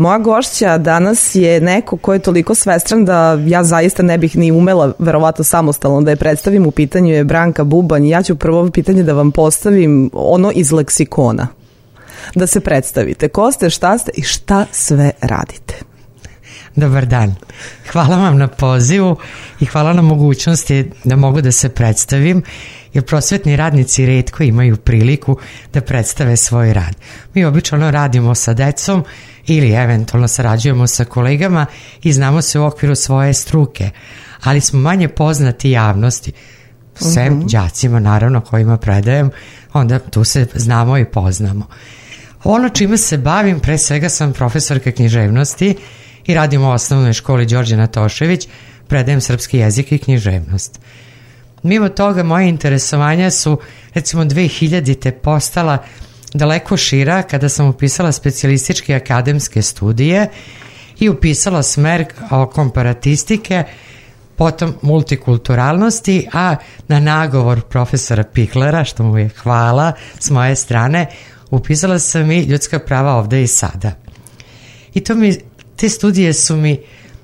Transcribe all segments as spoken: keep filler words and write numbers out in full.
Moja gošća danas je neko ko je toliko svestran da ja zaista ne bih ni umela verovatno samostalno da je predstavim. U pitanju je Branka Bubanj i ja ću prvo pitanje da vam postavim ono iz leksikona. Da se predstavite. Ko ste, šta ste i šta sve radite? Dobar dan. Hvala vam na pozivu i hvala na mogućnosti da mogu da se predstavim, jer prosvetni radnici retko imaju priliku da predstave svoj rad. Mi obično radimo sa decom ili eventualno sarađujemo sa kolegama i znamo se u okviru svoje struke, ali smo manje poznati javnosti, sem uh-huh. đacima naravno kojima predajem, onda tu se znamo i poznamo. Ono čime se bavim, pre svega sam profesorka književnosti i radim u osnovnoj školi Đorđe Natošević, predajem srpski jezik i književnost. Mimo toga, moje interesovanja su, recimo, dve hiljadite postala daleko šira kada sam upisala specijalističke akademske studije i upisala smer komparatistike, potom multikulturalnosti, a na nagovor profesora Pihlera, što mu je hvala s moje strane, upisala sam i ljudska prava ovde i sada. I to mi, te studije su mi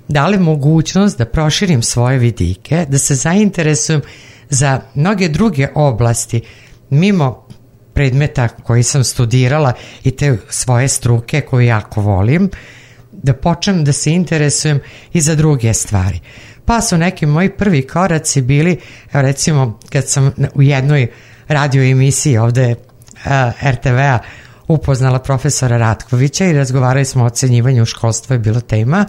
dale mogućnost da proširim svoje vidike, da se zainteresujem za mnoge druge oblasti, mimo predmeta koji sam studirala i te svoje struke koju jako volim, da počnem da se interesujem i za druge stvari. Pa su neki moji prvi koraci bili, recimo kad sam u jednoj radio emisiji ovde er te ve a upoznala profesora Ratkovića i razgovarali smo o ocenjivanju školstva, je bila tema.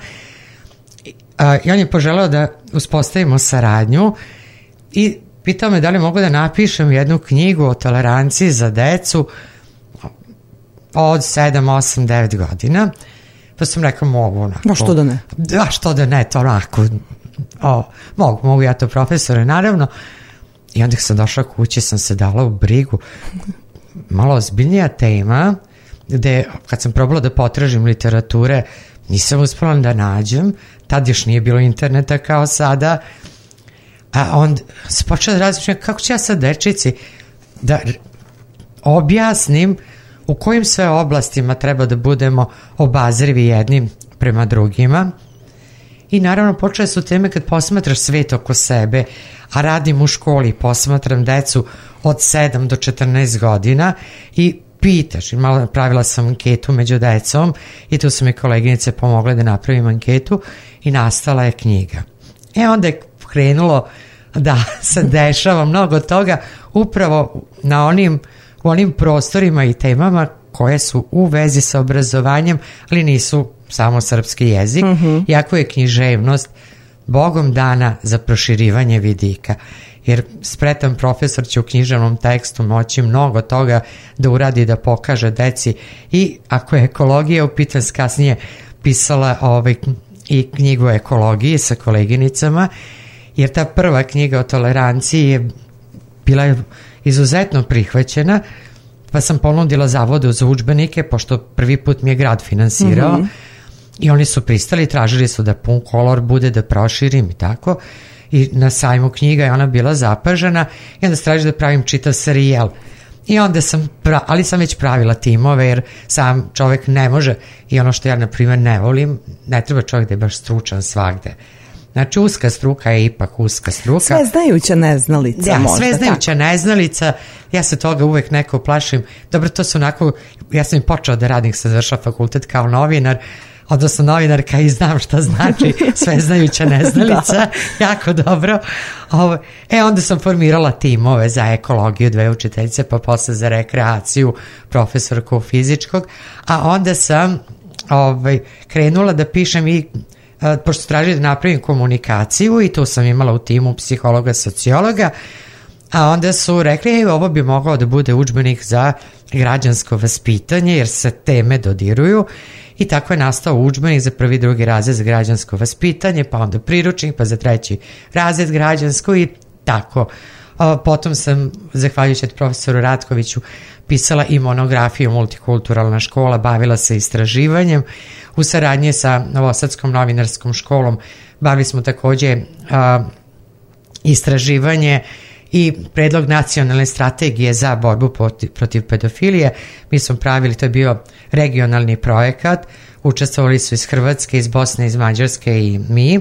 I on je poželeo da uspostavimo saradnju i pitao me da li mogu da napišem jednu knjigu o toleranciji za decu od sedam, osam, devet godina. Pa sam rekao, mogu onako. A što da ne? Da, što da ne, to onako. O, mogu, mogu ja to, profesore, naravno. I onda sam došla kući, sam se dala u brigu. Malo ozbiljnija tema, gde kad sam probala da potražim literature, nisam uspela da nađem, tad još nije bilo interneta kao sada, a onda se počela da razmišljam kako ću ja sad dečici da objasnim u kojim sve oblastima treba da budemo obazrivi jednim prema drugima. I naravno počele su teme kad posmatraš svet oko sebe, a radim u školi, posmatram decu od sedam do četrnaest godina i pitaš, i malo pravila sam anketu među decom i tu su mi koleginice pomogle da napravim anketu i nastala je knjiga. E onda je krenulo da se dešava mnogo toga upravo na onim, u onim prostorima i temama koje su u vezi sa obrazovanjem, ali nisu samo srpski jezik, mm-hmm. iako je književnost Bogom dana za proširivanje vidika. Jer spretan profesor će u književnom tekstu moći mnogo toga da uradi, da pokaže deci. I ako je ekologija, upitan kasnije pisala ovaj, i knjigu o ekologiji sa koleginicama, jer ta prva knjiga o toleranciji je bila izuzetno prihvaćena, pa sam ponudila Zavodu za udžbenike, pošto prvi put mi je grad finansirao, mm-hmm. i oni su pristali, tražili su da pun kolor bude, da proširim i tako. I na sajmu knjiga je ona bila zapažena i onda se traži da pravim čitav serijal. I onda sam, pra, ali sam već pravila timove, jer sam čovek ne može, i ono što ja na primjer ne volim, ne treba čovjek da je baš stručan svagde. Znači, uska struka je ipak uska struka. Sveznajuća neznalica. Ja, možda, sveznajuća tako. neznalica, ja se toga uvek neko plašim. Dobro, to su onako, ja sam i počela da radim, sam završila fakultet kao novinar, odnosno novinarka i znam šta znači sveznajuća neznalica, jako dobro. Ovo, e, onda sam formirala timove za ekologiju, dve učiteljice, pa posle za rekreaciju, profesorku fizičkog, a onda sam ovaj, krenula da pišem i pošto tražili da napravim komunikaciju i tu sam imala u timu psihologa, sociologa, a onda su rekli, ej, ovo bi mogao da bude udžbenik za građansko vaspitanje, jer se teme dodiruju, i tako je nastao udžbenik za prvi, drugi razred za građansko vaspitanje, pa onda priručnik, pa za treći razred građansko i tako. Potom sam, zahvaljujući profesoru Ratkoviću, pisala i monografiju Multikulturalna škola, bavila se istraživanjem. U saradnji sa Novosadskom novinarskom školom bavili smo takođe a, istraživanje i predlog nacionalne strategije za borbu protiv, protiv pedofilije. Mi smo pravili, to je bio regionalni projekat učestvovali su iz Hrvatske, iz Bosne, iz Mađarske i mi,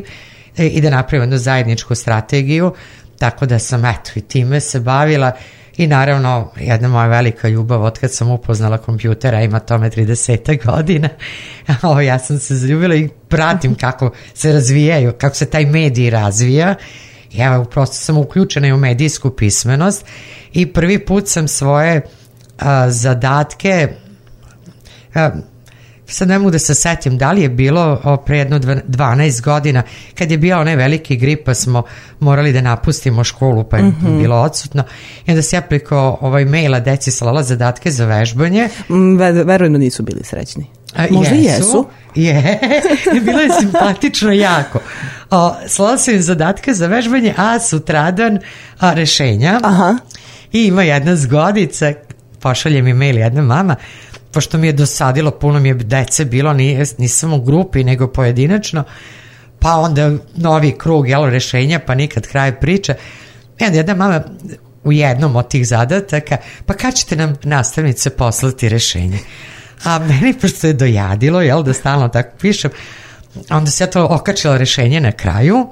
i da napravimo jednu zajedničku strategiju, tako da sam eto i time se bavila. I naravno, jedna moja velika ljubav od kad sam upoznala kompjutera, ima tome trideset godina, o, ja sam se zaljubila i pratim kako se razvijaju, kako se taj medij razvija. I evo, prosto sam uključena i u medijsku pismenost i prvi put sam svoje a, zadatke, a, sad ne mogu da se setim da li je bilo o, pre jedno dvanaest godina, kad je bio onaj veliki grip pa smo morali da napustimo školu pa je mm-hmm. bilo odsutno, i onda se ja preko ovaj maila deci slala zadatke za vežbanje. Mm, verujem da nisu bili srećni. A, možda jesu. jesu. Je, bilo je simpatično jako. O, slala sam im zadatke za vežbanje, a sutradan a, rešenja. Aha. I ima jedna zgodica, pošalje mi mail jedna mama, pošto mi je dosadilo, puno mi je dece bilo, nisam u grupi, nego pojedinačno, pa onda novi krug, jelo, rešenja, pa nikad kraj priče. I onda jedna mama u jednom od tih zadataka, pa kad ćete nam nastavnice poslati rešenje? A meni, pošto je dojadilo, jel, da stalno tako pišem, onda se ja to okačila rešenje na kraju,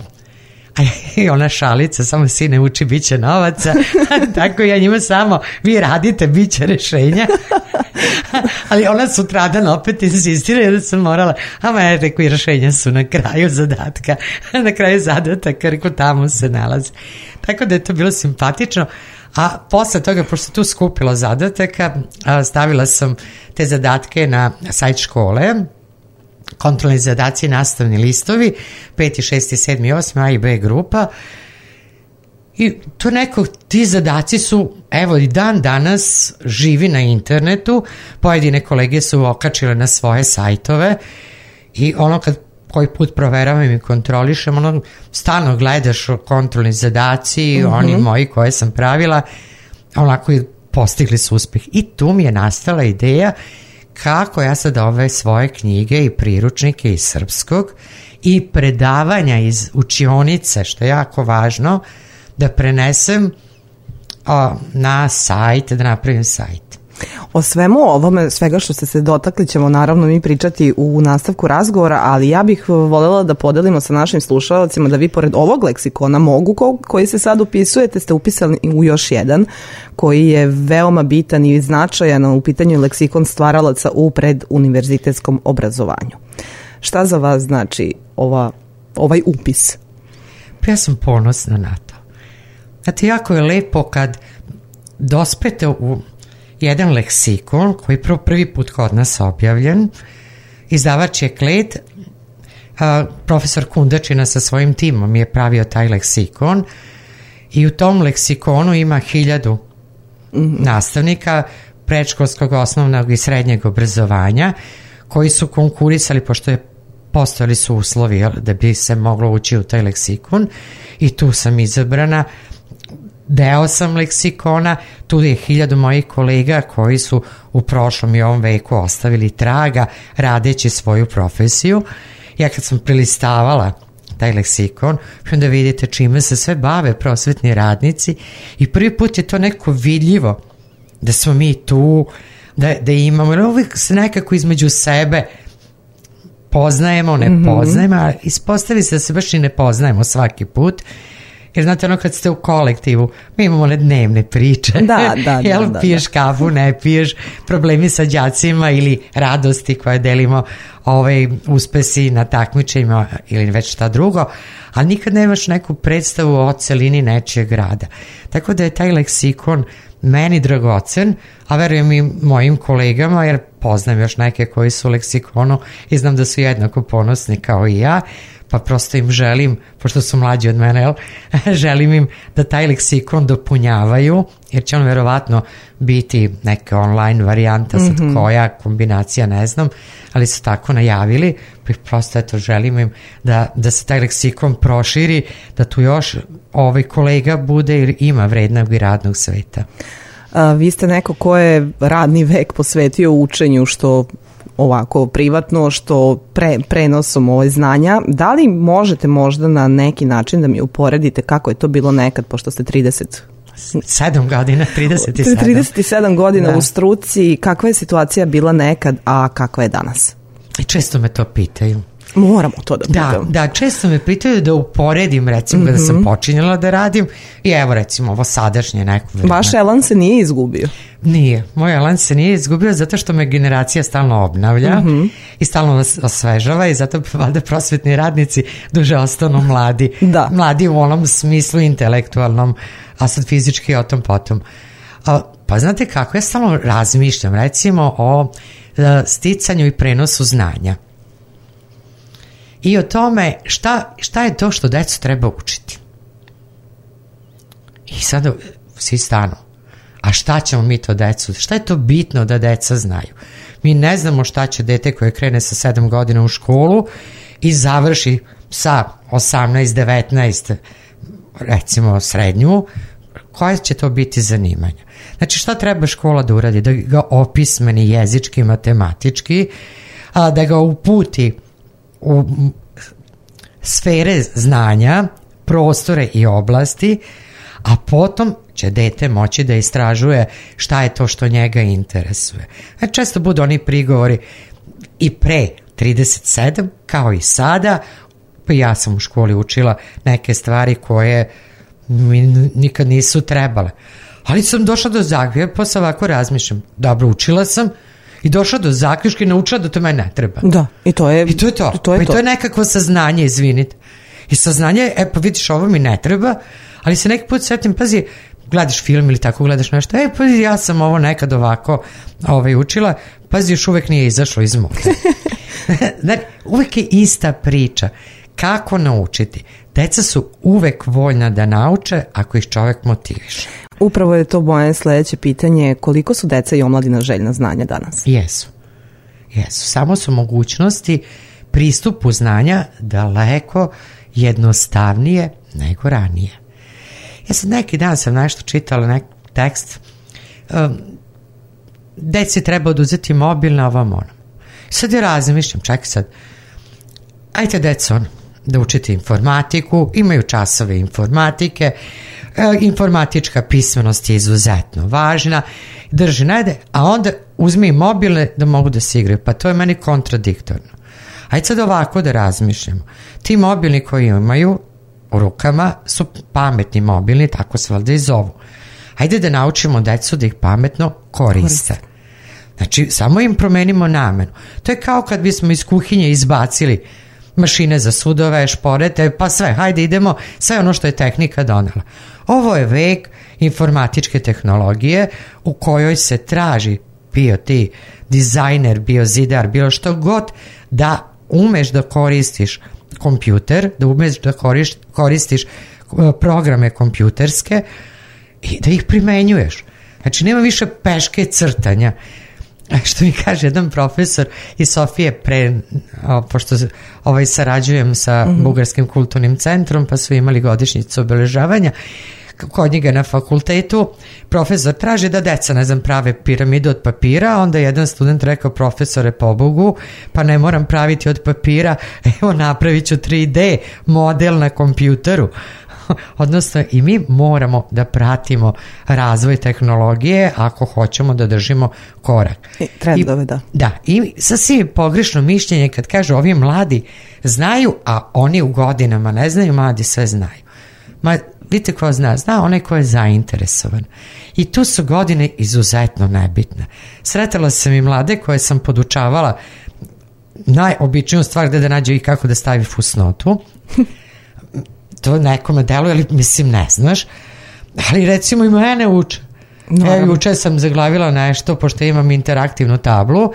a i ona šalica, samo sine uči, bit će novaca, tako ja njima samo, vi radite, bit će rešenja. Ali ona sutradan opet insistira da sam morala, ama ja rekao i rešenja su na kraju zadatka, na kraju zadataka, rekao tamo se nalazi. Tako da je to bilo simpatično. A posle toga, pošto tu skupila zadataka, stavila sam te zadatke na sajt škole, kontrolni zadaci, nastavni listovi, peti, šesti, sedmi, osmi, A i B grupa. I to neko, ti zadaci su, evo i dan danas živi na internetu, pojedine kolege su okačile na svoje sajtove i ono kad koji put proveravam i kontrolišem, ono stalno gledaš kontrolni zadaci, mm-hmm. oni moji koje sam pravila, onako postigli su uspeh. I tu mi je nastala ideja kako ja sad ove svoje knjige i priručnike iz srpskog i predavanja iz učionice, što je jako važno, da prenesem o, na sajt, da napravim sajt. O svemu ovome, svega što ste se dotakli ćemo naravno mi pričati u nastavku razgovora, ali ja bih voljela da podelimo sa našim slušalcima da vi pored ovog leksikona mogu ko, koji se sad upisujete, ste upisali u još jedan koji je veoma bitan i značajan u pitanju leksikon stvaralaca u preduniverzitetskom obrazovanju. Šta za vas znači ova, ovaj upis? Ja sam ponosna na to. Znate, jako je lepo kad dospete u jedan leksikon koji je prvi put kod nas objavljen. Izdavač je Kled, a, profesor Kundačina sa svojim timom je pravio taj leksikon i u tom leksikonu ima hiljadu mm-hmm. nastavnika predškolskog, osnovnog i srednjeg obrazovanja koji su konkurisali, pošto je postojali su uslovi da bi se moglo ući u taj leksikon, i tu sam izabrana. Deo sam leksikona, tu je hiljadu mojih kolega koji su u prošlom i ovom veku ostavili traga radeći svoju profesiju. Ja kad sam prilistavala taj leksikon, onda vidite čime se sve bave prosvetni radnici i prvi put je to neko vidljivo da smo mi tu, da, da imamo, jer uvijek se nekako između sebe poznajemo, ne mm-hmm. poznajemo, a ispostavi se da se baš i ne poznajemo svaki put. Jer znate, ono kad ste u kolektivu, mi imamo one dnevne priče. Da, da, Jel, da, da, piješ kafu, ne piješ, problemi sa đacima ili radosti koje delimo, ovaj, uspesi na takmičenjima ili već šta drugo, ali nikad nemaš neku predstavu o celini nečijeg grada. Tako da je taj leksikon meni dragocen, a verujem i mojim kolegama, jer poznam još neke koji su u leksikonu i znam da su jednako ponosni kao i ja, pa prosto im želim, pošto su mlađi od mene, jel, želim im da taj leksikon dopunjavaju, jer će on verovatno biti neka online varijanta, sad mm-hmm. koja kombinacija ne znam, ali su tako najavili, pa prosto eto želim im da, da se taj leksikon proširi, da tu još ovaj kolega bude jer ima vrednog i radnog sveta. A, vi ste neko ko je radni vek posvetio učenju, što ovako privatno, što pre, prenosom ove znanja. Da li možete možda na neki način da mi uporedite kako je to bilo nekad, pošto ste trideset sedam godina, trideset sedam. trideset sedam godina da. U struci, kakva je situacija bila nekad, a kakva je danas? I često me to pitaju. Moramo to da pitamo. Da, da, često me pitaju da uporedim, recimo, mm-hmm. kada sam počinjala da radim i evo, recimo, ovo sadašnje neko vreme. Vaš elan se nije izgubio? Nije. Moj elan se nije izgubio zato što me generacija stalno obnavlja mm-hmm. i stalno vas osvežava i zato valjda prosvetni radnici duže ostanu mladi. Da. Mladi u onom smislu intelektualnom, a sad fizički o tom potom. A, pa znate kako, ja stalno razmišljam, recimo, o a, sticanju i prenosu znanja. I o tome šta, šta je to što decu treba učiti. I sada svi stanu. A šta ćemo mi to decu? Šta je to bitno da deca znaju? Mi ne znamo šta će dete koje krene sa sedam godina u školu i završi sa osamnaest devetnaest recimo srednju, koja će to biti zanimanja. Znači šta treba škola da uradi? Da ga opismeni jezički, matematički, a da ga uputi u sfere znanja, prostore i oblasti, a potom će dete moći da istražuje šta je to što njega interesuje. A često budu oni prigovori i pre trideset sedam, kao i sada, pa ja sam u školi učila neke stvari koje mi nikad nisu trebale. Ali sam došla do zaključka, pa sam ovako razmišljam, dobro, učila sam, i došla do zaključka i naučila da to meni ne treba. Da, i to je I to je to. to je pa i to. to je nekakvo saznanje, izvinite. I saznanje, e pa vidiš, ovo mi ne treba, ali se neki put setim, pazi, gledaš film ili tako gledaš nešto, e pazi, ja sam ovo nekad ovako ovaj, učila, pazi, još uvek nije izašlo iz mode. Znači, uvek je ista priča. Kako naučiti? Deca su uvek voljna da nauče ako ih čovek motiviše. Upravo je to moje sledeće pitanje, koliko su deca i omladina željna znanja danas? Jesu. Jesu. Samo su mogućnosti pristupu znanja daleko jednostavnije nego ranije. Ja sad neki dan sam nešto čitala, neki tekst, um, deci treba oduzeti mobil na ovom onom. Sad ja razmišljam, čekaj sad, ajte deco da učite informatiku, imaju časove informatike, e, informatička pismenost je izuzetno važna, drži najde, a onda uzmi mobilne da mogu da se igraju, pa to je meni kontradiktorno. Ajde sad ovako da razmišljamo. Ti mobilni koji imaju u rukama su pametni mobilni, tako se valjda i zovu. Ajde da naučimo decu da ih pametno koriste. Znači, samo im promenimo namenu. To je kao kad bismo iz kuhinje izbacili mašine za sudove, šporete, pa sve, hajde idemo, sve ono što je tehnika donela. Ovo je vek informatičke tehnologije u kojoj se traži, bio ti dizajner, bio zidar, bilo što god, da umeš da koristiš kompjuter, da umeš da koriš, koristiš programe kompjuterske i da ih primenjuješ. Znači, nema više peške crtanja. Što mi kaže jedan profesor iz Sofije pre, o, pošto ovaj, sarađujem sa mm-hmm. Bugarskim kulturnim centrom, pa su imali godišnjicu obeležavanja kod njega na fakultetu, profesor traži da deca, ne znam, prave piramidu od papira, onda jedan student rekao, profesore, pobogu, pa ne moram praviti od papira, evo napravit ću tri D model na kompjuteru. Odnosno, i mi moramo da pratimo razvoj tehnologije ako hoćemo da držimo korak. I trendove, da. Da, i sasvim pogrešno mišljenje kad kažu ovi mladi znaju, a oni u godinama ne znaju, mladi sve znaju. Ma, vidite ko zna? Zna onaj ko je zainteresovan. I tu su godine izuzetno nebitne. Sretala sam i mlade koje sam podučavala najobičniju stvar gde da nađe i kako da stavi fusnotu. To nekome deluje, ali mislim ne znaš, ali recimo i mene uče. No. E, juče sam zaglavila nešto, pošto imam interaktivnu tablu,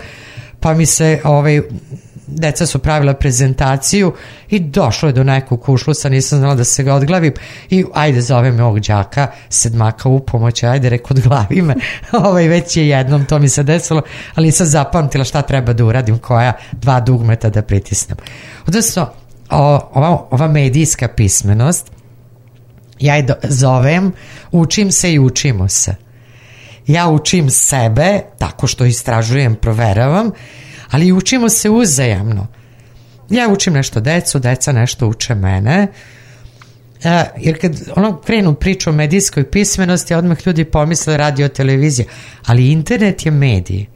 pa mi se, ovaj, deca su pravila prezentaciju i došlo je do nekog kušlusa, nisam znala da se ga odglavim i ajde zove me ovog đaka, sedmaka u pomoć, ajde reko odglavi me, ovaj, već je jednom to mi se desilo, ali nisam zapamtila šta treba da uradim, koja dva dugmeta da pritisnem. Odnosno, O, ova, ova medijska pismenost, ja je do, zovem učim se i učimo se. Ja učim sebe tako što istražujem, proveravam, ali učimo se uzajamno. Ja učim nešto decu, deca nešto uče mene, e, jer kad ono krenu priču o medijskoj pismenosti, odmah ljudi pomisle radio, televizija, ali internet je medij.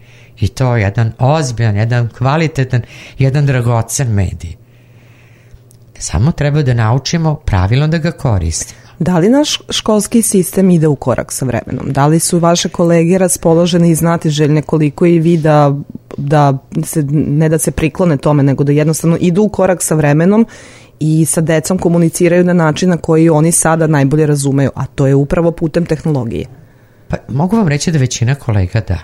I to je jedan ozbiljan, jedan kvalitetan, jedan dragocen medij. Samo treba da naučimo pravilno da ga koristimo. Da li naš školski sistem ide u korak sa vremenom? Da li su vaše kolege raspoloženi i znatiželjne koliko i vi da, da se, ne da se priklone tome, nego da jednostavno idu u korak sa vremenom i sa decom komuniciraju na način na koji oni sada najbolje razumeju, a to je upravo putem tehnologije? Pa mogu vam reći da većina kolega da.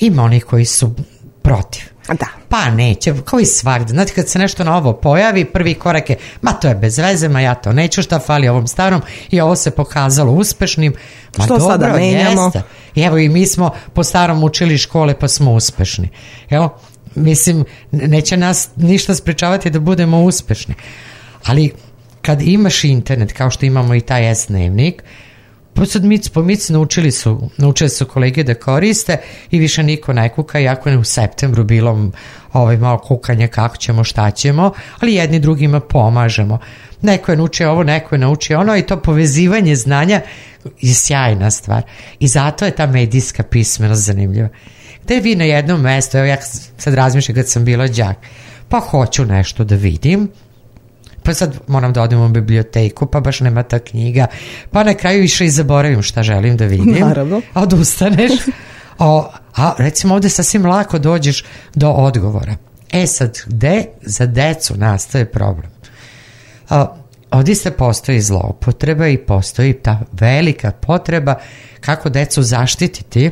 Ima onih koji su protiv. Da. Pa neće, kao i svakde. Znate, kad se nešto novo pojavi, prvi korak je, ma to je bez veze, ma ja to neću, šta fali ovom starom, i ovo se pokazalo uspešnim. Ma što dobro, sada menjamo? Jeste. Evo i mi smo po starom učili škole pa smo uspešni. Evo, mislim, neće nas ništa sprečavati da budemo uspešni. Ali kad imaš internet, kao što imamo i taj S-dnevnik, pa sad mic po mic naučili su, naučili su kolege da koriste i više niko ne kuka, iako je u septembru bilo ovaj, malo kukanje kako ćemo, šta ćemo, ali jedni drugima pomažemo. Neko je naučio ovo, neko je naučio ono, i to povezivanje znanja je sjajna stvar. I zato je ta medijska pismenost zanimljiva. Gde vi na jednom mestu, evo ja sad razmišljam kad sam bila đak, pa hoću nešto da vidim, pa sad moram da odem u biblioteku, pa baš nema ta knjiga, pa na kraju više i zaboravim šta želim da vidim. Naravno. A odustaneš. O, a recimo ovde sasvim lako dođeš do odgovora. E sad, gde za decu nastaje problem? A, ovdje se postoji zloupotreba i postoji ta velika potreba kako decu zaštititi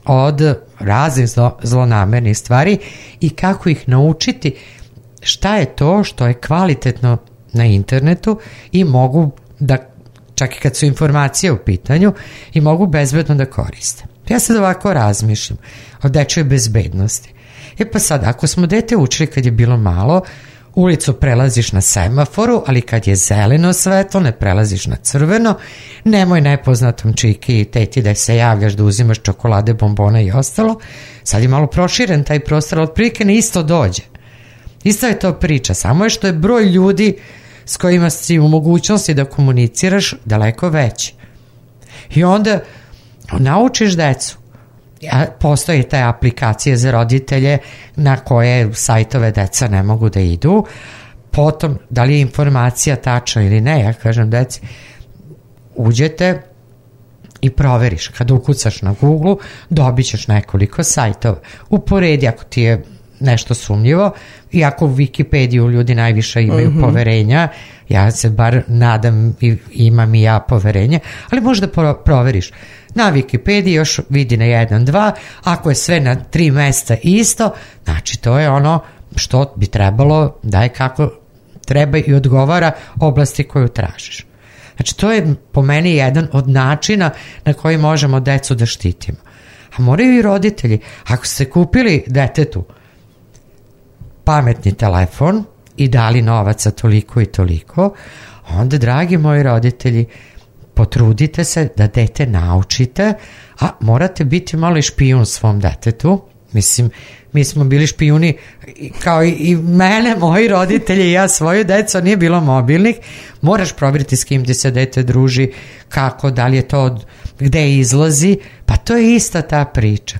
od raznih zlo, zlonamernih stvari i kako ih naučiti šta je to što je kvalitetno na internetu i mogu da, čak i kad su informacije u pitanju, i mogu bezbedno da koriste. Ja sad ovako razmišljam o dečoj bezbednosti. E pa sad, ako smo dete učili kad je bilo malo, ulicu prelaziš na semaforu, ali kad je zeleno svetlo, ne prelaziš na crveno, nemoj nepoznatom čiki i teti da se javljaš da uzimaš čokolade, bombone i ostalo. Sad je malo proširen taj prostor, ali otprilike ne isto dođe. Isto je to priča, samo je što je broj ljudi s kojima si u mogućnosti da komuniciraš daleko veći. I onda naučiš decu. Postoje te aplikacije za roditelje na koje sajtove deca ne mogu da idu. Potom, da li je informacija tačna ili ne, ja kažem deci, uđete i proveriš. Kada ukucaš na Google, dobit ćeš nekoliko sajtova. Uporedi ako ti je nešto sumnjivo, iako u Wikipediju ljudi najviše imaju mm-hmm. poverenja, ja se bar nadam i imam i ja poverenje, ali možda proveriš. Na Wikipediji još vidi na jedan, dva, ako je sve na tri mesta isto, znači to je ono što bi trebalo da je kako treba i odgovara oblasti koju tražiš. Znači to je po meni jedan od načina na koji možemo decu da štitimo. A moraju i roditelji, ako ste kupili detetu pametni telefon i dali novaca toliko i toliko, onda, dragi moji roditelji, potrudite se da dete naučite, a morate biti malo i špijun svom detetu. Mislim, mi smo bili špijuni kao i, i mene, moji roditelji i ja svoju decu, nije bilo mobilnih. Moraš provjeriti s kim ti se dete druži, kako, da li je to, gde izlazi, pa to je ista ta priča.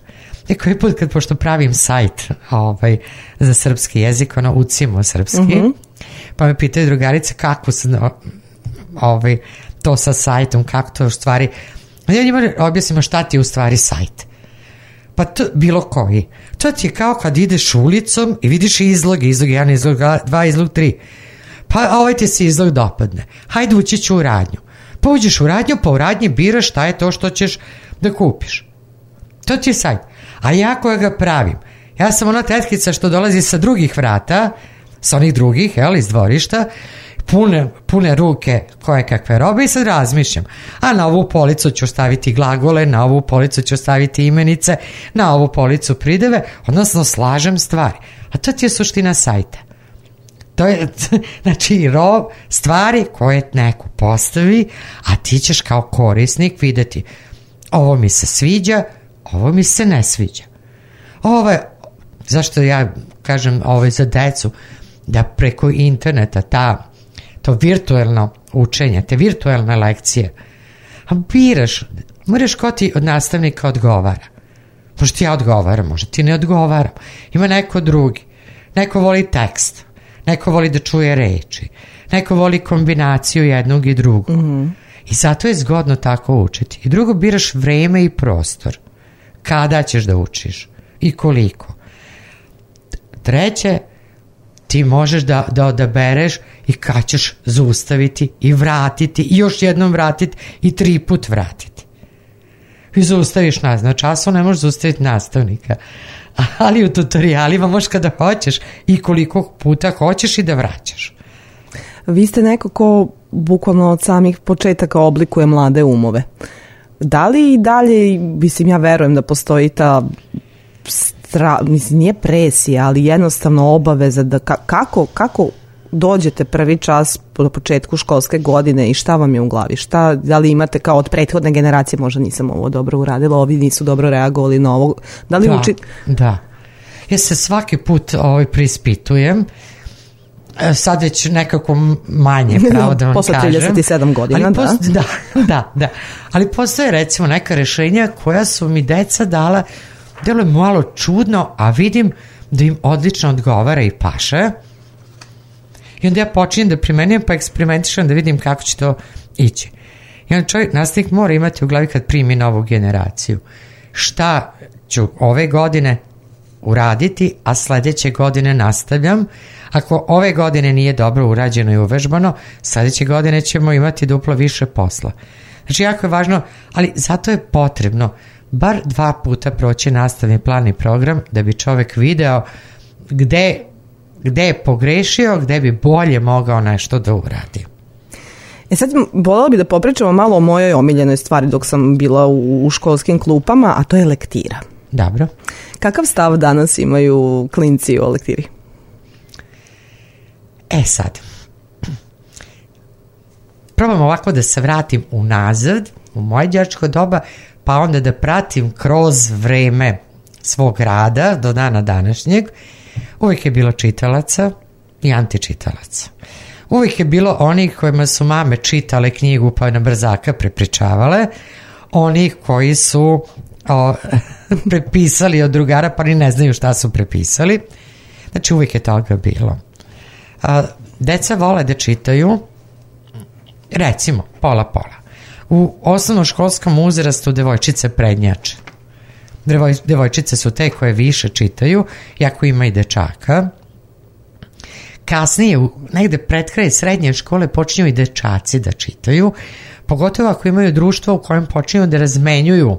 Neki put kad, pošto pravim sajt ovaj, za srpski jezik, ono, učimo srpski, mm-hmm. pa me pitaju drugarice kako se ovaj, to sa sajtom, kako to u stvari, ja njima objasnimo šta ti je u stvari sajt. Pa to, bilo koji. To ti je kao kad ideš ulicom i vidiš izloge, izlog jedan, izlog dva, izlog tri. Pa ovaj ti se izlog dopadne. Hajde ući ću u radnju. Pa uđeš u radnju, pa u radnji biraš šta je to što ćeš da kupiš. To ti je sajt. A ja koja ga pravim, ja sam ona tetkica što dolazi sa drugih vrata, sa onih drugih, jel, iz dvorišta, pune, pune ruke koje kakve robe i sad razmišljam. A na ovu policu ću staviti glagole, na ovu policu ću staviti imenice, na ovu policu prideve, odnosno slažem stvari. A to ti je suština sajta. To je, znači, rob, stvari koje neko postavi, a ti ćeš kao korisnik videti ovo mi se sviđa, ovo mi se ne sviđa. Ovo je, zašto ja kažem ovo je za decu, da preko interneta ta, to virtuelno učenje, te virtuelne lekcije, a biraš, moraš ko ti od nastavnika odgovara. Možda ti ja odgovaram, možda ti ne odgovaram. Ima neko drugi. Neko voli tekst. Neko voli da čuje reči. Neko voli kombinaciju jednog i drugog. Mm-hmm. I zato je zgodno tako učiti. I drugo, biraš vreme i prostor. Kada ćeš da učiš i koliko. Treće, ti možeš da, da odabereš i kad ćeš zaustaviti i vratiti i još jednom vratiti i tri put vratiti. I zaustaviš nas. Na času ne možeš zaustaviti nastavnika. Ali u tutorijalima možeš kada hoćeš i koliko puta hoćeš i da vraćaš. Vi ste neko ko bukvalno od samih početaka oblikuje mlade umove. Da li i dalje, mislim, ja verujem da postoji ta stra, mislim, nije presija, ali jednostavno obaveza da ka, kako, kako dođete prvi čas do početku školske godine i šta vam je u glavi? Šta, da li imate kao od prethodne generacije, možda nisam ovo dobro uradila, ovi nisu dobro reagovali na ovo. Da li da, učite? Da. Ja se svaki put ovaj, prispitujem. Sad već nekako manje, pravo da vam posle kažem. trideset i sedam godina, ali da. Post, da. Da, da. Ali postoje recimo neka rešenja koja su mi deca dala, delo je malo čudno, a vidim da im odlično odgovara i paše. I onda ja počinjem da primenjujem, pa eksperimentišem da vidim kako će to ići. I onda čovjek, nastavnik mora imati u glavi kad primi novu generaciju. Šta ću ove godine uraditi, a sledeće godine nastavljam. Ako ove godine nije dobro urađeno i uvežbano, sledeće godine ćemo imati duplo više posla. Znači, jako je važno, ali zato je potrebno bar dva puta proći nastavni plan i program da bi čovek video gde, gde je pogrešio, gde bi bolje mogao nešto da uradi. E sad, voljela bi da popričamo malo o mojoj omiljenoj stvari dok sam bila u, u školskim klupama, a to je lektira. Dobro. Kakav stav danas imaju klinci o lektiri? E sad, probam ovako da se vratim unazad, u moje đačko doba, pa onda da pratim kroz vreme svog rada do dana današnjeg. Uvijek je bilo čitalaca i antičitalaca. Uvijek je bilo onih kojima su mame čitale knjigu pa na brzaka prepričavale, onih koji su o, prepisali od drugara pa ni ne znaju šta su prepisali. Znači uvijek je toga bilo. A, deca vole da čitaju, recimo, pola-pola. U osnovnoškolskom uzrastu devojčice prednjače. Devoj, devojčice su te koje više čitaju, jako ima i dečaka. Kasnije, negde pred kraj srednje škole, počinju i dečaci da čitaju, pogotovo ako imaju društvo u kojem počinju da razmenjuju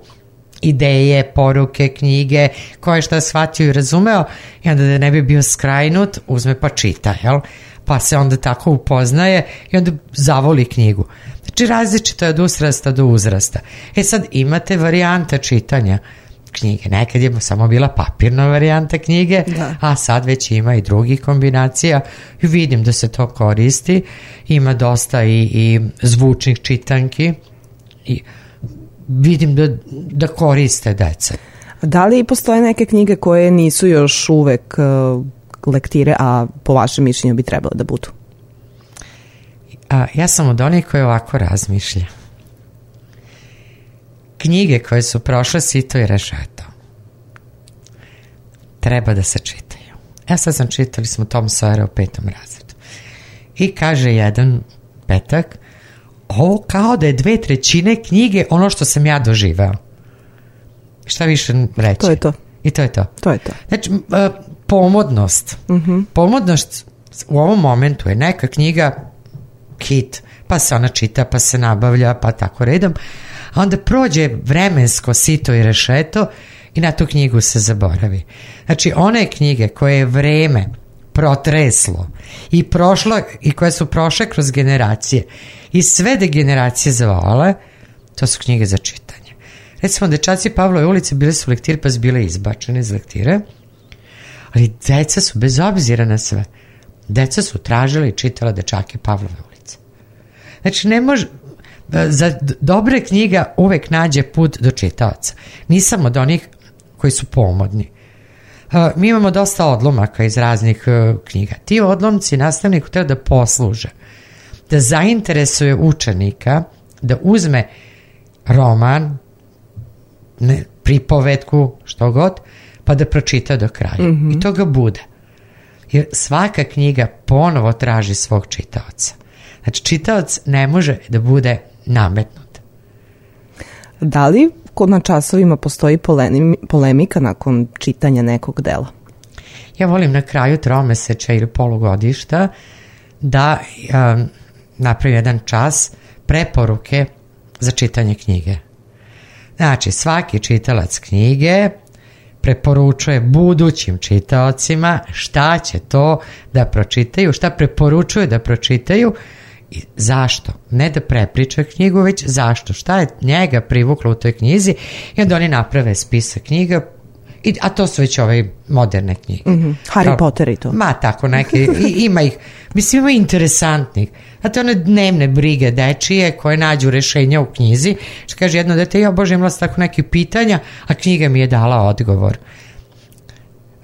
ideje, poruke, knjige, koje šta shvatio i razumeo, i onda da ne bi bio skrajnut, uzme pa čita, jel? Pa se onda tako upoznaje i onda zavoli knjigu. Znači različito je od uzrasta do uzrasta. E sad imate varijante čitanja knjige. Nekad je samo bila papirna varijanta knjige, da. A sad već ima i drugih kombinacija i vidim da se to koristi. Ima dosta i, i zvučnih čitanki i vidim da, da koriste deca. Da li postoje neke knjige koje nisu još uvek uh, lektire, a po vašem mišljenju bi trebalo da budu? A, ja sam od onih koji ovako razmišlja. Knjige koje su prošle sito i rešeto treba da se čitaju. Ja sad sam čitali smo Tom Sawyera u petom razredu. I kaže jedan petak, ovo kao da je dve trećine knjige ono što sam ja doživeo. Šta više reći? To je to. I to je to. To je to. Znači, pomodnost. Uh-huh. Pomodnost u ovom momentu je neka knjiga hit, pa se ona čita, pa se nabavlja, pa tako redom, a onda prođe vremensko sito i rešeto i na tu knjigu se zaboravi. Znači, one knjige koje je vreme protreslo i prošlo i koje su prošle kroz generacije i sve de generacije zavole, to su knjige za čitanje. Recimo, dečaci Pavlove ulice bile su lektire, pa su bile izbačene iz lektire, ali deca su, bez obzira na sve, deca su tražila i čitala dečake Pavlove ulice. Znači, ne može, za dobre knjiga uvek nađe put do čitaoca. Nisam od onih koji su pomodni. Uh, mi imamo dosta odlomaka iz raznih uh, knjiga. Ti odlomci nastavniku treba da posluže, da zainteresuje učenika, da uzme roman, ne, pripovetku, što god, pa da pročita do kraja. Mm-hmm. I to ga bude. Jer svaka knjiga ponovo traži svog čitaoca. Znači, čitaoc ne može da bude nametnut. Da li kod na časovima postoji polemika nakon čitanja nekog dela? Ja volim na kraju tromesečja ili polugodišta da um, napravim jedan čas preporuke za čitanje knjige. Znači, svaki čitalac knjige preporučuje budućim čitaocima šta će to da pročitaju, šta preporučuje da pročitaju i zašto. Ne da prepriča knjigu, već zašto. Šta je njega privuklo u toj knjizi i onda oni naprave spisak knjiga, I, a to su već ove moderne knjige. Mm-hmm. Harry Kao, Potter i to. Ma tako neke, i, ima ih, mislim ima interesantnih. Znate, one dnevne brige dečije koje nađu rešenja u knjizi, što kaže jedno dete, ja bože imala sam tako neke pitanja, a knjiga mi je dala odgovor.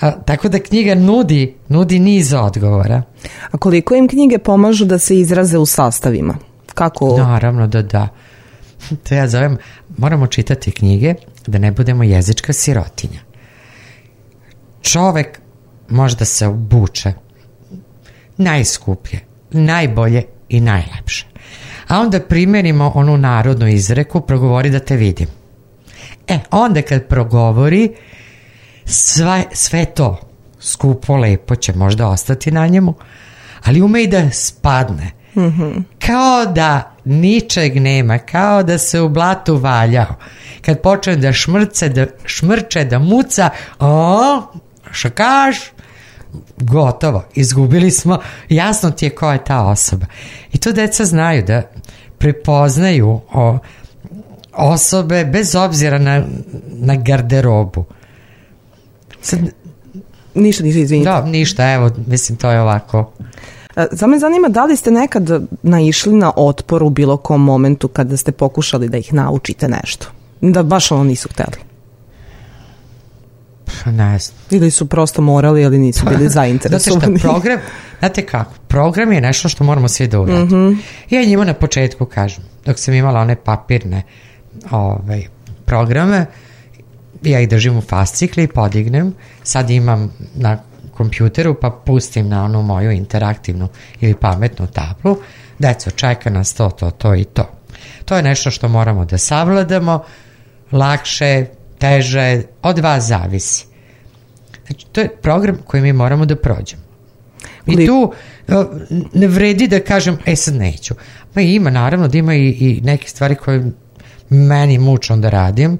A, tako da knjiga nudi, nudi niz odgovora. A koliko im knjige pomažu da se izraze u sastavima? Kako? Naravno da da. To ja zovem, moramo čitati knjige da ne budemo jezička sirotinja. Čovek možda se obuče najskuplje, najbolje i najlepše. A onda primenimo onu narodnu izreku, progovori da te vidim. E, onda kad progovori, sve, sve to skupo, lepo će možda ostati na njemu, ali ume i da spadne. Mm-hmm. Kao da ničeg nema, kao da se u blatu valjao. Kad počne da šmrce, da šmrče, da muca, o, šakaš, gotovo, izgubili smo, jasno ti je ko je ta osoba. I to deca znaju da prepoznaju o, osobe bez obzira na, na garderobu. Sad, ništa, ništa, izvinite. Da, ništa, evo, mislim, to je ovako. Za me zanima, da li ste nekad naišli na otpor u bilo kom momentu kada ste pokušali da ih naučite nešto? Da baš ono nisu hteli? Ne znam. Ili su prosto morali, ali nisu bili zainteresovani. Znate šta, program, znate kako, program je nešto što moramo svi da uradimo. Mm-hmm. Ja njima na početku kažem, dok sam imala one papirne ovaj, programe, ja ih držim u fascikli i podignem, sad imam na kompjuteru pa pustim na onu moju interaktivnu ili pametnu tablu, deco, čeka nas to, to, to i to. To je nešto što moramo da savladamo, lakše, teže, od vas zavisi. Znači, to je program koji mi moramo da prođemo. I tu ne vredi da kažem, e sad neću. Pa ima, naravno, da ima i, i neke stvari koje meni mučno da radim.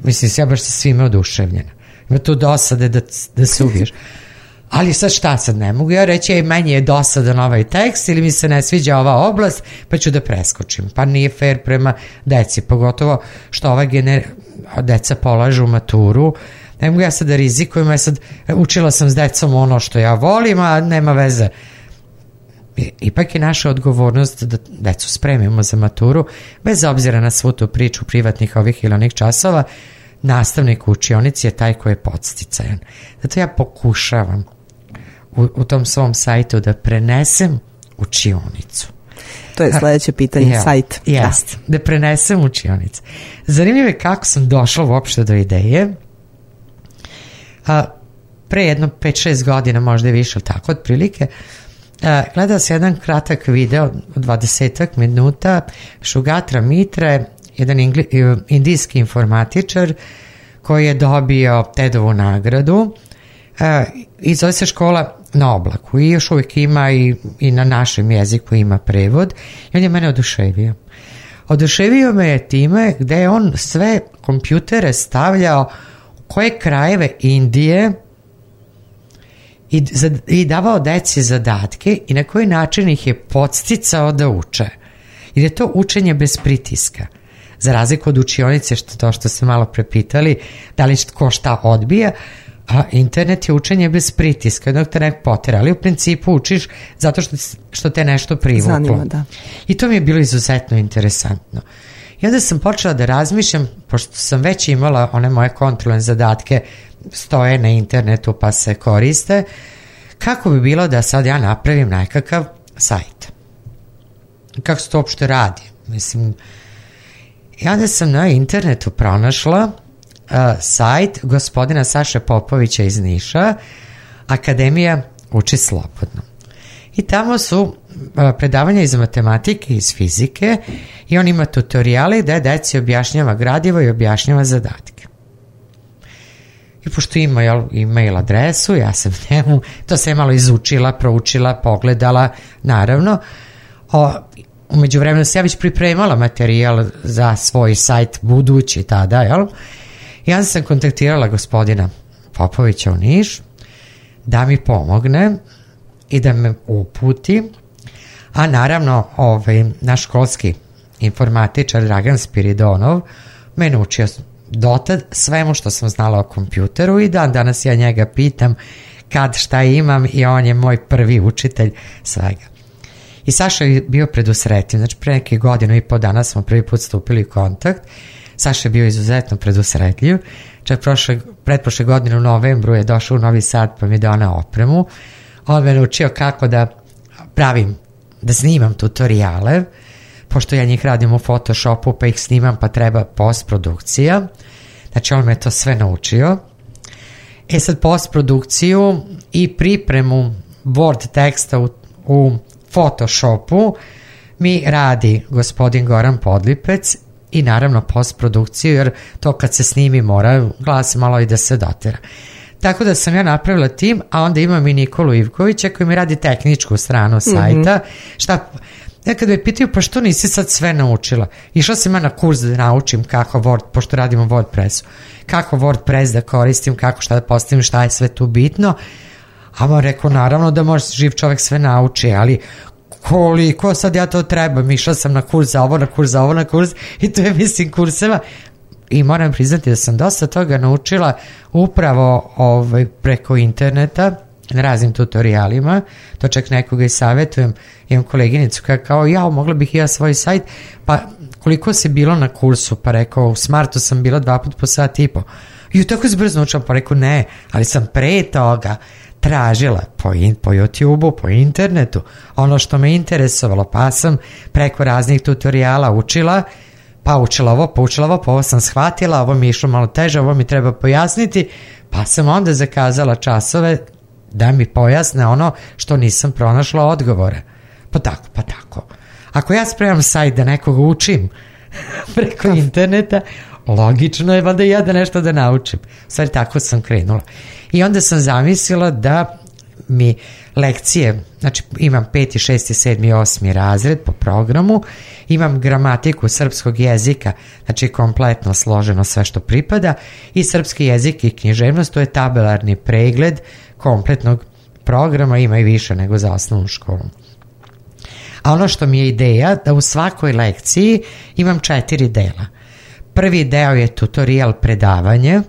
Mislim, ja baš sa svime oduševljena. Ima tu dosade da, da se ubiješ. Ali sad šta sad ne mogu ja reći, ej, meni je dosadan ovaj tekst ili mi se ne sviđa ova oblast, pa ću da preskočim. Pa nije fair prema deci, pogotovo što ova gener... deca polažu maturu. Ne mogu ja sad da rizikujem, ja sad učila sam s decom ono što ja volim, a nema veze. Ipak je naša odgovornost da decu spremimo za maturu, bez obzira na svu tu priču privatnih ovih ili onih časova. Nastavnik u učionici je taj koji je podsticajan. Zato ja pokušavam u, u tom svom sajtu da prenesem učionicu. To je sledeće pitanje, ja, sajt. Jest, da. da prenesem učionicu. Zanimljivo je kako sam došla uopšte do ideje. A, pre jedno pet šest godina, možda i više, tako otprilike, a, gledala sam jedan kratak video od dvadesetak minuta Šugatra Mitre, jedan ingli, indijski informatičar koji je dobio TED-ovu nagradu e, i zove se Škola na oblaku i još uvijek ima i, i na našem jeziku ima prevod i on je mene oduševio. Oduševio me je time gde je on sve kompjutere stavljao u koje krajeve Indije i, i davao deci zadatke i na koji način ih je podsticao da uče. Jer je to učenje bez pritiska. Za razliku od učionice, što to što ste malo prepitali, da li ko šta odbija, a internet je učenje bez pritiska, jednog te nek potera, ali u principu učiš zato što, što te nešto privuklo. Zanima, da. I to mi je bilo izuzetno interesantno. I onda sam počela da razmišljam, pošto sam već imala one moje kontrolne zadatke, stoje na internetu pa se koriste, kako bi bilo da sad ja napravim nekakav sajt. Kako se to uopšte radi? Mislim, i onda sam na internetu pronašla uh, sajt gospodina Saše Popovića iz Niša, Akademija uči slobodno. I tamo su uh, predavanja iz matematike i iz fizike i on ima tutoriale da deci objašnjava gradivo i objašnjava zadatke. I pošto ima jel, e-mail adresu, ja sam njemu, to sam je malo izučila, proučila, pogledala, naravno. O, umeđu vremenu sam ja već pripremala materijal za svoj sajt budući tada, jel? I ja sam kontaktirala gospodina Popovića u Niš da mi pomogne i da me uputi, a naravno ovaj, naš školski informatičar Dragan Spiridonov me naučio dotad svemu što sam znala o kompjuteru i dan danas ja njega pitam kad šta imam i on je moj prvi učitelj svega. I Saša je bio predusretljiv, znači pre neke godinu i po dana smo prvi put stupili u kontakt. Saša je bio izuzetno predusretljiv, čak prošle, pretprošle godine u novembru je došao u Novi Sad pa mi donao opremu. On me naučio kako da pravim, da snimam tutoriale, pošto ja njih radim u Photoshopu pa ih snimam pa treba postprodukcija. Znači on me to sve naučio. E sad postprodukciju i pripremu Word teksta u, u Photoshopu mi radi gospodin Goran Podlipec i naravno postprodukciju jer to kad se snimi mora glas malo i da se dotera. Tako da sam ja napravila tim, a onda imam i Nikolu Ivkovića koji mi radi tehničku stranu sajta. Mm-hmm. Šta... Ja kad me pitaju, pa što nisi sad sve naučila? Išla sam ja na kurs da naučim kako Word, pošto radimo WordPressu, kako WordPress da koristim, kako šta da postavim, šta je sve tu bitno. A on rekao, naravno da može živ čovjek sve nauči, ali koliko sad ja to trebam? Išla sam na kurs za ovo, na kurs za ovo, na kurs i to je mislim kurseva. I moram priznati da sam dosta toga naučila upravo ovaj, preko interneta, na raznim tutorialima, to čak nekoga i savjetujem, imam koleginicu koja kao, ja, mogla bih i ja svoj sajt, pa koliko se bilo na kursu, pa rekao, u Smartu sam bila dva put po sat i po, i tako se brzo naučila, pa rekao, ne, ali sam pre toga tražila po, in, po YouTube-u, po internetu, ono što me interesovalo, pa sam preko raznih tutoriala učila, pa učila ovo, pa učila ovo, pa ovo sam shvatila, ovo mi je išlo malo teže, ovo mi treba pojasniti, pa sam onda zakazala časove da mi pojasne ono što nisam pronašla odgovore. Pa tako, pa tako. Ako ja spremam sajt da nekoga učim preko interneta, logično je valjda ja da nešto da naučim. Stvari tako sam krenula. I onda sam zamislila da mi lekcije, znači imam peti, šesti, sedmi, osmi razred po programu, imam gramatiku srpskog jezika, znači kompletno složeno sve što pripada, i srpski jezik i književnost, to je tabelarni pregled kompletnog programa, ima i više nego za osnovnu školu. A ono što mi je ideja, da u svakoj lekciji imam četiri dela. Prvi deo je tutorial predavanje,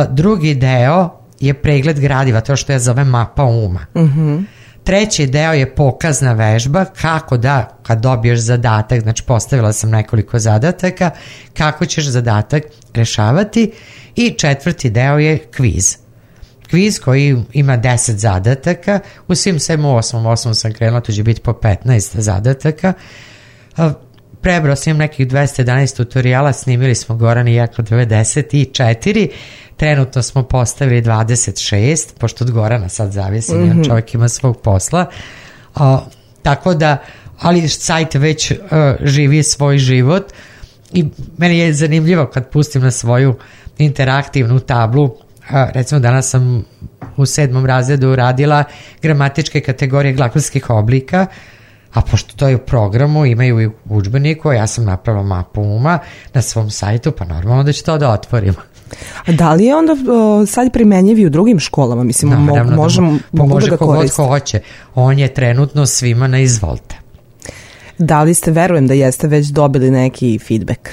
drugi deo je pregled gradiva, to što ja zovem mapa uma. Mm-hmm. Treći deo je pokazna vežba, kako da, kad dobiješ zadatak, znači postavila sam nekoliko zadataka, kako ćeš zadatak rešavati, i četvrti deo je kviz. Kviz koji ima deset zadataka, u svim sedmom, osmom, osmom sam krenula, to će biti po petnaest zadataka. Prebrao sam nekih dvesta jedanaest tutoriala, snimili smo Goran i ja kod devedeset četiri, trenutno smo postavili dvadeset šest, pošto od Gorana sad zavisi, mm-hmm. čovjek ima svog posla. O, tako da, ali sajt već uh, živi svoj život i meni je zanimljivo kad pustim na svoju interaktivnu tablu. Recimo danas sam u sedmom razredu radila gramatičke kategorije glagolskih oblika, a pošto to je u programu, imaju i u udžbeniku, ja sam napravila mapu uma na svom sajtu, pa normalno da ću to da otvorim. A da li je onda uh, sad primenjiv i u drugim školama? Mislim, naravno, mo- možemo, da, mogu može da ga koriste. Ko hoće. On je trenutno svima na izvolte. Da li ste, verujem da jeste već dobili neki feedback?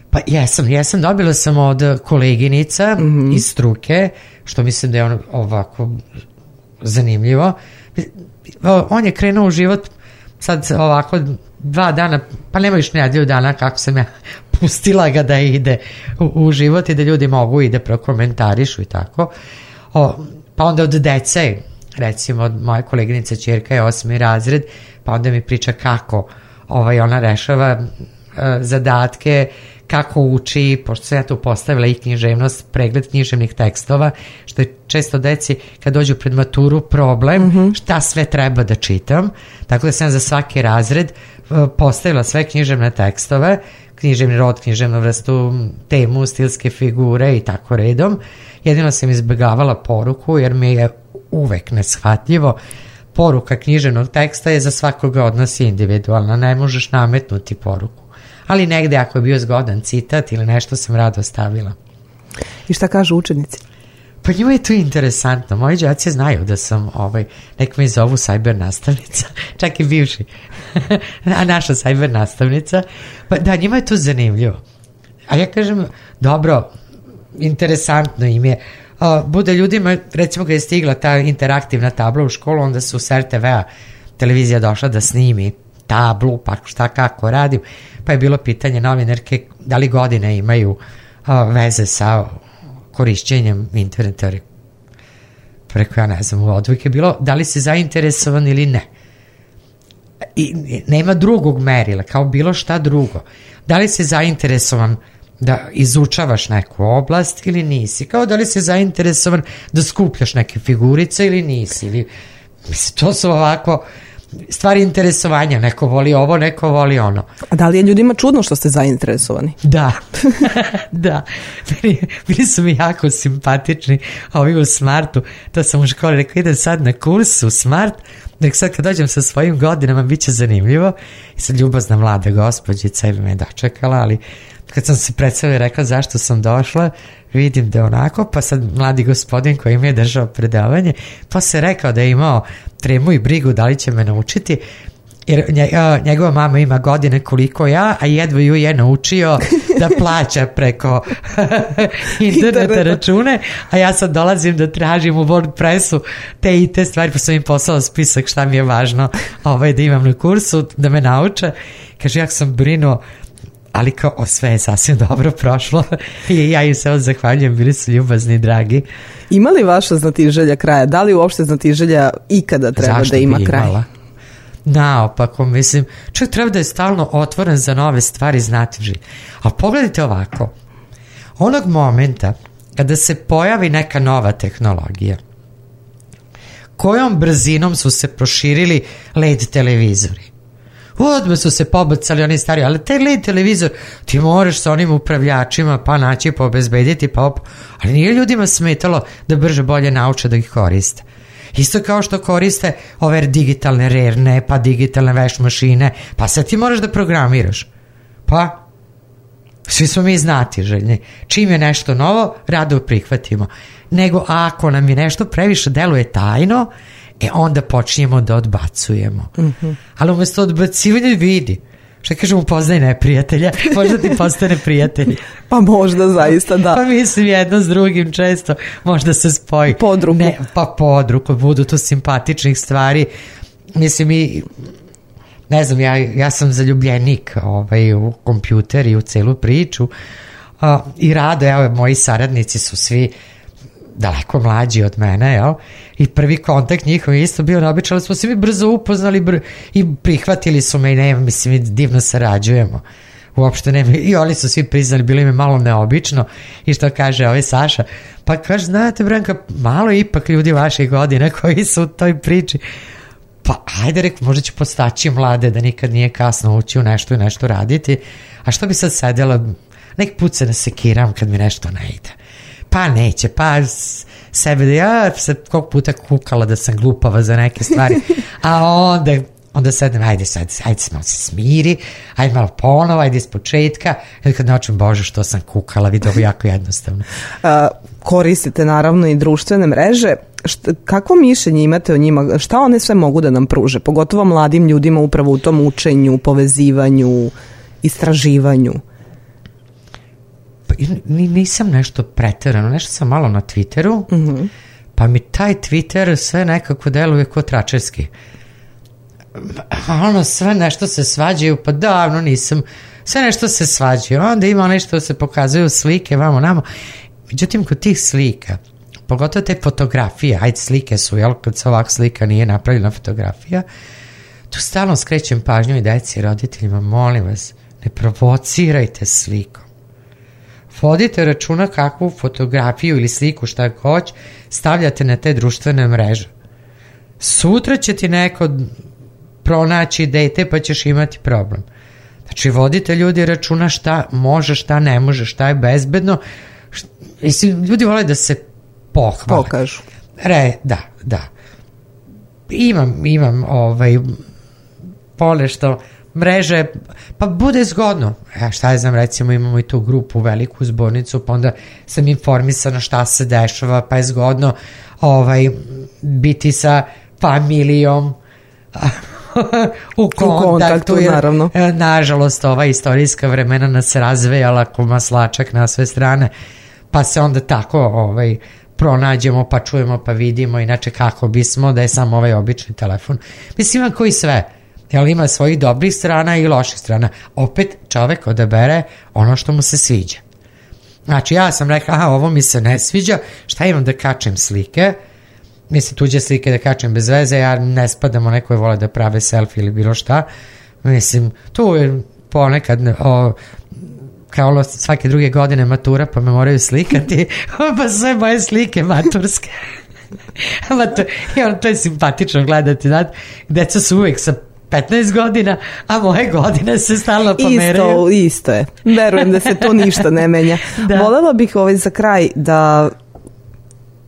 Pa jesam, jesam, dobila sam od koleginica mm-hmm. iz struke, što mislim da je on ovako zanimljivo. On je krenuo u život sad ovako dva dana, pa nema još nedelju dana kako sam ja pustila ga da ide u, u život i da ljudi mogu i da prokomentarišu i tako. O, pa onda od dece, recimo od moje koleginice ćerka je osmi razred, pa onda mi priča kako ovaj, ona rešava uh, zadatke, kako uči, pošto sam ja tu postavila i književnost, pregled književnih tekstova, što je često deci kad dođu pred maturu problem, mm-hmm. šta sve treba da čitam, tako da sam za svaki razred postavila sve književne tekstove, književni rod, književnu vrstu, temu, stilske figure i tako redom. Jedino sam izbjegavala poruku jer mi je uvek neshvatljivo. Poruka književnog teksta je za svakoga od nas individualna, ne možeš nametnuti poruku. Ali negde ako je bio zgodan citat ili nešto sam rado stavila. I šta kažu učenici? Pa njima je to interesantno. Moji đaci znaju da sam, ovaj, nek me zovu sajber nastavnica, čak i bivši, a naša sajber nastavnica. Pa da, njima je to zanimljivo. A ja kažem, dobro, interesantno im je. Uh, bude ljudima, recimo kad je stigla ta interaktivna tabla u školu, onda su s er te vea televizija došla da snimi tablu, pa šta kako radim, pa je bilo pitanje novinarke da li godine imaju uh, veze sa korišćenjem interneta. Preko ja ne znam, u odvojke je bilo da li si zainteresovan ili ne. I nema drugog merila, kao bilo šta drugo. Da li si zainteresovan da izučavaš neku oblast ili nisi, kao da li si zainteresovan da skupljaš neke figurice ili nisi, ili, mislim, to su ovako stvari interesovanja, neko voli ovo, neko voli ono. A da li je ljudima čudno što ste zainteresovani? Da, da, bili, bili su mi jako simpatični ovi u Smartu, to sam u školi rekao, idem sad na kurs u Smart, nek sad kad dođem sa svojim godinama bit će zanimljivo, i sad ljubazna mlada gospođica i me dočekala, ali kad sam se predstavila i rekla zašto sam došla, vidim da je onako, pa sad mladi gospodin koji mi je držao predavanje, pa se rekao da je imao tremu i brigu da li će me naučiti, jer njegova mama ima godine koliko ja, a jedva ju je naučio da plaća preko interneta račune, a ja sad dolazim da tražim u WordPressu te i te stvari, pa sam im poslala spisak šta mi je važno ovaj, da imam na kursu, da me nauče. Kaže, ja sam brinuo, ali kao sve je sasvim dobro prošlo i ja im se zahvaljujem, bili su ljubazni i dragi. Ima li vaša znatiželja kraja? Da li uopšte znatiželja ikada treba Zašto da ima kraj? Imala? Naopako, mislim, čovjek treba da je stalno otvoren za nove stvari, znatiželje. Ali pogledajte ovako, onog momenta kada se pojavi neka nova tehnologija, kojom brzinom su se proširili L E D televizori, odmah su se pobacali oni stari, ali taj L E D televizor ti moraš sa onim upravljačima pa naći, pa obezbediti, pa op... ali nije ljudima smetalo da brže bolje nauče da ih koriste. Isto kao što koriste ove digitalne rerne, pa digitalne veš mašine, pa sad ti moraš da programiraš. Pa, svi smo mi znatiželjni. Čim je nešto novo, rado prihvatimo. Nego ako nam je nešto previše deluje tajno, e onda počinjemo da odbacujemo. Mm-hmm. Ali umjesto odbacivanja vidi. Šta kažemo, poznaj neprijatelja, možda ti postane prijatelj. Pa možda zaista, da. Pa mislim jedno s drugim često, možda se spoji. Podruku. Ne, pa podruku, budu to simpatičnih stvari. Mislim i, ne znam, ja, ja sam zaljubljenik ovaj, u kompjuter i u celu priču. Uh, I rado, evo, moji saradnici su svi daleko mlađi od mene, jel? I prvi kontakt njihov je isto bio neobičan, ali smo se mi brzo upoznali br- i prihvatili su me i ne, mislim, divno sarađujemo. Uopšte ne, i oni su svi priznali, bilo im je malo neobično i što kaže ovaj Saša, pa kaže, znate Branka, malo ipak ljudi vaših godina koji su u toj priči, pa ajde rek, možda ću postaći mlade da nikad nije kasno ući u nešto i nešto raditi, a što bi sad sedela, nek put se nasekiram kad mi nešto ne ide. Pa neće, pa sebe da ja se koliko puta kukala da sam glupava za neke stvari, a onda, onda sedem, ajde sad, ajde malo se smiri, ajde malo ponovo, ajde iz početka, jer kad naučim, Bože, što sam kukala, vidi ovo jako jednostavno. A, koristite naravno i društvene mreže, Šta, kakvo mišljenje imate o njima, šta one sve mogu da nam pruže, pogotovo mladim ljudima upravo u tom učenju, povezivanju, istraživanju? Nisam nešto preterano, nešto sam malo na Twitteru, mm-hmm. pa mi taj Twitter sve nekako deluje ko tračerski. Ono, sve nešto se svađaju, pa davno nisam, sve nešto se svađaju, onda ima nešto se pokazuju slike, vamo, namo. Međutim, kod tih slika, pogotovo te fotografije, ajde slike su, jel, kad se ovak slika nije napravljena fotografija, tu stalno skrećem pažnju i deci i roditeljima, molim vas, ne provocirajte slikom. vodite računa kakvu fotografiju ili sliku šta hoć stavljate na te društvene mreže. Sutra će ti neko pronaći dete pa ćeš imati problem. Znači vodite ljudi računa šta može, šta ne može, šta je bezbedno. Mislim, ljudi vole da se pohvale. Pokažu. Re, da, da. Imam, imam ovaj, ponešto mreže, pa bude zgodno. Ja šta je znam, recimo imamo i tu grupu, veliku zbornicu, pa onda sam informisana šta se dešava, pa je zgodno ovaj, biti sa familijom u kontaktu. U kontaktu, jer, naravno. Nažalost, ova istorijska vremena nas razvejala ko maslačak na sve strane, pa se onda tako ovaj, pronađemo, pa čujemo, pa vidimo, inače kako bismo da je samo ovaj obični telefon. Mislim, ima koji sve, jer ima svojih dobrih strana i loših strana. Opet čovek odabere ono što mu se sviđa. Znači, ja sam rekla, aha, ovo mi se ne sviđa, šta imam da kačem slike, mislim, tuđe slike da kačem bez veze, ja ne spadam u nekoj vole da prave selfie ili bilo šta, mislim, tu je ponekad o, kao svake druge godine matura, pa me moraju slikati, pa sve moje slike maturske. Matur, i on, to je simpatično gledati, znate, deca su uvijek sa petnaest godina, a moje godine se stalno pomeraju. Isto, isto je. Verujem da se to ništa ne menja. Da. Volela bih ovaj za kraj da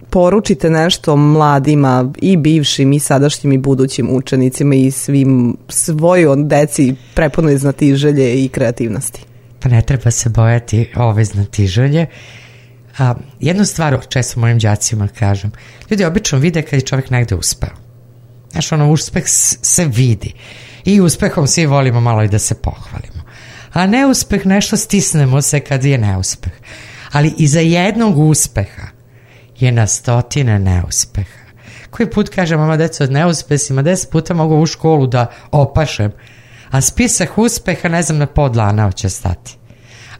poručite nešto mladima i bivšim i sadašnjim i budućim učenicima i svim svojoj deci prepunoj znatiželje i kreativnosti. Pa ne treba se bojati ove znatiželje. A, jednu stvar često mojim đacima kažem, ljudi obično vide kad je čovjek negde uspeo. Znaš, ono, uspeh se vidi i uspehom svi volimo malo i da se pohvalimo. A neuspeh, nešto stisnemo se kad je neuspeh. Ali iza jednog uspeha je na stotine neuspeha. Koji put kažem, mama, deco, od neuspesima deset puta mogu u školu da opašem, a spisak uspeha ne znam na podlana hoće stati.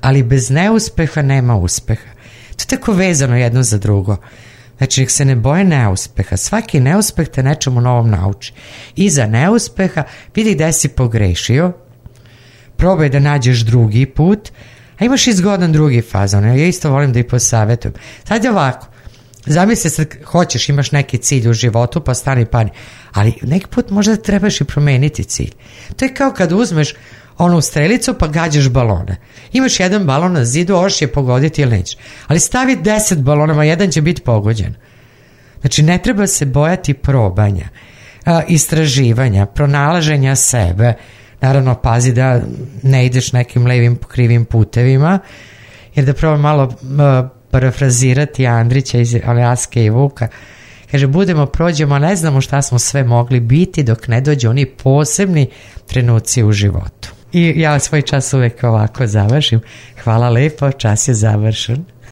Ali bez neuspeha nema uspeha. To je tako vezano jedno za drugo. Znači, nek se ne boje neuspeha. Svaki neuspeh te nečemu novom nauči. Iza neuspeha vidi gde si pogrešio, probaj da nađeš drugi put, a imaš i zgodan drugi fazon. Ja isto volim da i posavetujem. Sad je ovako, zamisli se, hoćeš, imaš neki cilj u životu, pa stani pani, ali neki put možda trebaš i promeniti cilj. To je kao kad uzmeš onu strelicu pa gađaš balone. Imaš jedan balon na zidu, hoćeš je pogoditi ili nećeš. Ali stavi deset balona, a jedan će biti pogođen. Znači, ne treba se bojati probanja, a, istraživanja, pronalaženja sebe. Naravno, pazi da ne ideš nekim levim krivim putevima, jer da probam malo a, parafrazirati Andrića iz Aljaske i Vuka. Kaže, budemo, prođemo, ne znamo šta smo sve mogli biti dok ne dođe oni posebni trenuci u životu. I ja svoj čas uvek ovako završim. Hvala lepo, čas je završen.